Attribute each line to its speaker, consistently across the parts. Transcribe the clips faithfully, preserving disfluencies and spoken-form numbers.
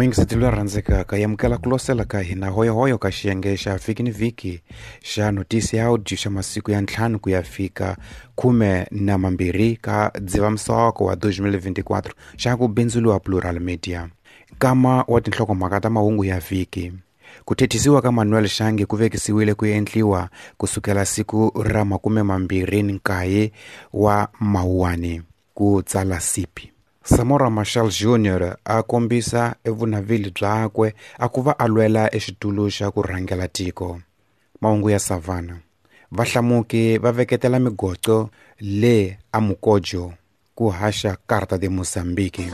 Speaker 1: Muyingiseti loyi a rhandzekaka hi amukela ku losela ka hina hoyohoyo ka xiyenge xa vhiki ni vhiki xa notisi ya audio xa masiku ya ntlhanu ku ya fika khume na mambirhi ka Dzivamisoko wa twenty twenty-four xa ku bindzuriwa Plural Media. Nkama wa tinhlokomhaka ta mahungu ya vhiki. Ku thethisiwa ka Manuel Shange ku vekisiwile ku endliwa kusukela siku ra makume mambirhi ni nkaye wa Mawuwani ku tsala sipi. Samora Machel Junior a kombisa evunavili byakwe a ku va a lwela exitulu xa ku rhangela tiko. Mahungu ya Savannah. Vahlamuki va veketela migoco le a Mukojo ku haxa Carta de Mozambique.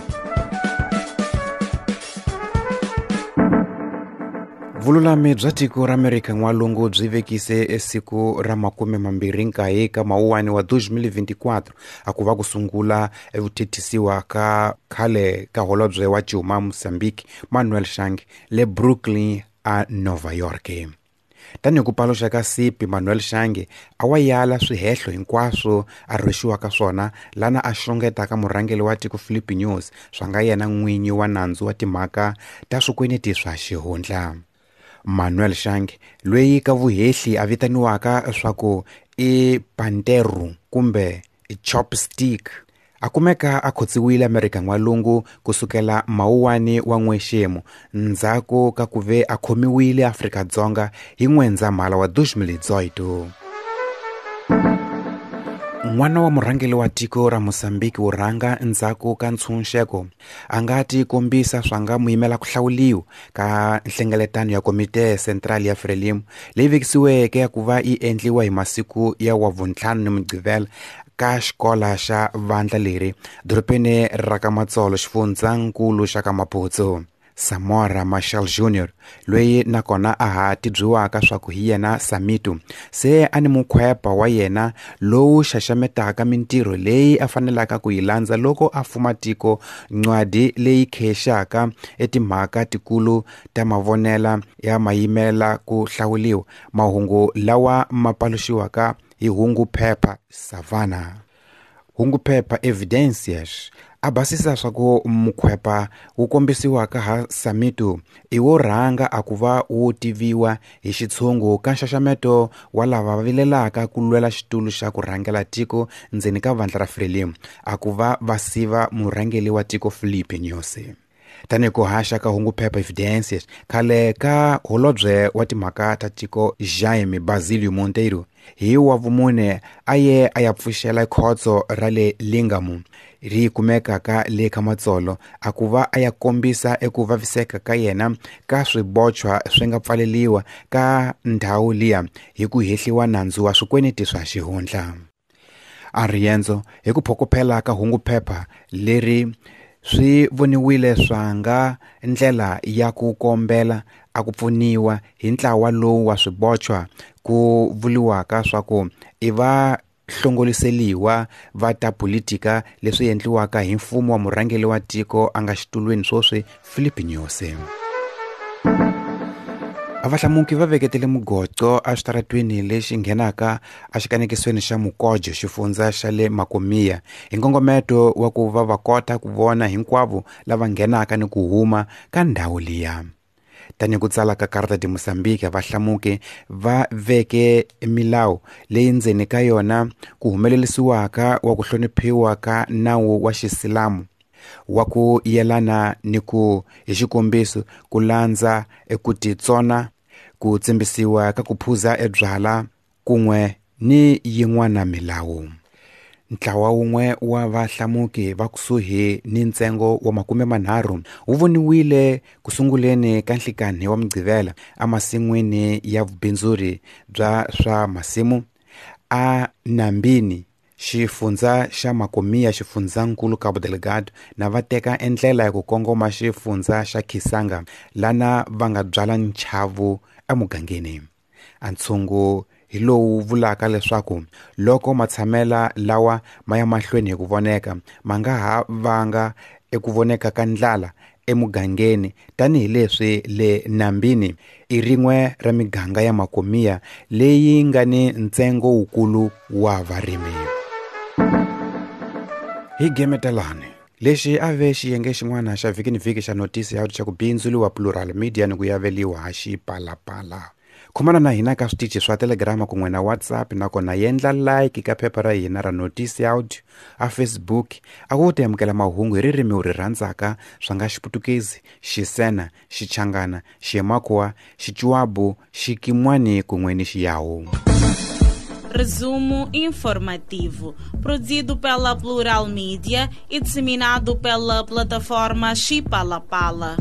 Speaker 1: Vululami bya tiko ra Amerika n'walungu byi vekise esiku ra makume mambirhi nkaye ka Mawuwani wa twenty twenty-four a ku va ku sungula evuthethisiwa ka khale ka holobye wa Cuma Mozambique Manuel Shange le Brooklyn a Nova York. Tanihi ku paluxa ka sipi Manuel Shange a wa yala swihehlo hinkwaswo a rhwexiwaka swona lana a xungetaka murhangeri wa tiko Filipe Nyusi swa nga yena n'winyi wa nandzu wa timhaka ta swikweneti swa xihundla. Manuel Shange loyi ka vuhehli a vitaniwaka swa ku i Panteru kumbe Chopstick a kumeka a khotsiwile Amerika n'walungu kusukela Mawuwani wa n'wexemu ndzhaku ka ku ve a khomiwile Afrika-Dzonga hi N'wendzamhala wa twenty twenty-two. N'wana wa murhangeri wa tiko ra Mozambique wo rhanga ndzhaku ka ntshunxeko a nga ti kombisa swa nga muyimela ku hlawuliwa ka nhlengeletano ya Komite Central ya Frelimo leyi vekisiweke ya ku va yi endliwa hi masiku ya wa vuntlhanu ni Mugqivela ka xikola xa vandla leri dorobeni ra ka Matsolo xifundzankulu xa ka Maputo. Samora Machel Junior loyi nakona a ha tibyiwaka swa ku hi yena Samitu se a ni mukhwepa wa yena lowu xaxametaka mintirho leyi a fanelaka ku yi landza loko a fuma tiko ncwadi leyi khexaka etimhaka tikulu ta mavonela ya mayimela ku hlawuliwa mahungu lawa ma paluxiwaka hi hungu phepha Savannah. Hungu phepha Evidencias a basisa swa ku mukhwepa wu kombisiwaka ha Samitu i wo rhanga a ku va wu tiviwa hi xitshungu ka nxaxameto wa lava vilelaka ku lwela xitulu xa ku rhangela tiko ndzeni ka vandla ra Frelimo a ku va va siva murhangeri wa tiko Filipe Nyusi. Tanihi ku haxa ka hungu phepha Evidencias khale ka holobye wa timhaka ta tiko Jaime Basilio Monteiro hi wa vumune a ye a ya pfuxela khotso ra le Lingamu ri kumekaka le ka Matsolo a ku va a ya kombisa eku vaviseka ka yena ka swibochwa swi nga pfaleliwa ka ndhawu liya hi ku hehliwa nandzu wa swikweneti swa xihundla. A riendzo hi ku phokophela ka hungu phepha leri swi voniwile swa nga ndlela ya ku kombela a ku pfuniwa hi ntlawa lowu wa swibochwa ku vuliwaka swa ku i va hlongoliseliwa va ta politika leswi endliwaka hi mfumo wa murhangeri wa tiko a nga xitulwini swoswi Filipe Nyusi. A vahlamuki va veketele mugoco exitaratweni lexi nghenaka exikanekisweni xa Mukojo xifundza xa le Makomia hi nkongometo wa ku va va kota ku vona hinkwavo lava nghenaka ni ku huma ka ndhawu liya. Tanihi ku tsala ka Carta de Mozambique vahlamuki va veke milawu leyi ndzeni ka yona ku humelerisiwaka wa ku hloniphiwa ka nawu wa xisilamu wa ku yelana ni ku hi xikombiso ku landza eku titsona ku tsimbisiwa ka ku phuza ebyala kun'we ni yin'wana milawu. Ntlawa wun'we wa vahlamuki va kusuhi ni ntsengo wa makume manharhu wu voniwile ku sunguleni ka nhlikanhi wa Mugqivela emasin'wini ya vubindzuri bya swa masimu a Nambini xifundza xa Makomia xifundzankulu Cabo Delgado na va teka endlela ya ku kongoma xifundza xa Kisanga lana va nga byala nchavu emugangeni. A ntshungu hi lowu vulaka leswaku loko matshamela lawa ma ya mahlweni hi ku voneka ma nga ha vanga eku voneka ka ndlala emugangeni tanihileswi le Nambini i rin'we ra miganga ya Makomia leyi nga ni ntsengo wukulu wa varimi. Hi gemetelani Lexi a ve xiyenge xin'wana xa vhiki ni vhiki xa notisi ya xa ku bindzuliwa Plural Media ni ku yaveliwa ha Xipalapala. Khomana na hina ka switichi swa Telegram kun'we na WhatsApp, nakona yendla like ka phepha ra hina ra Notisi Audio a Facebook, a ku ta amukela mahungu hi ririmi u ri rhandzaka swa nga Xiputukezi, Xisena, Xichangana, Xiemakhuwa, Xichuabu, Xikimwani kun'we ni Xiyawu.
Speaker 2: Resumo informativo, produzido pela Plural Media e disseminado pela plataforma Xipalapala.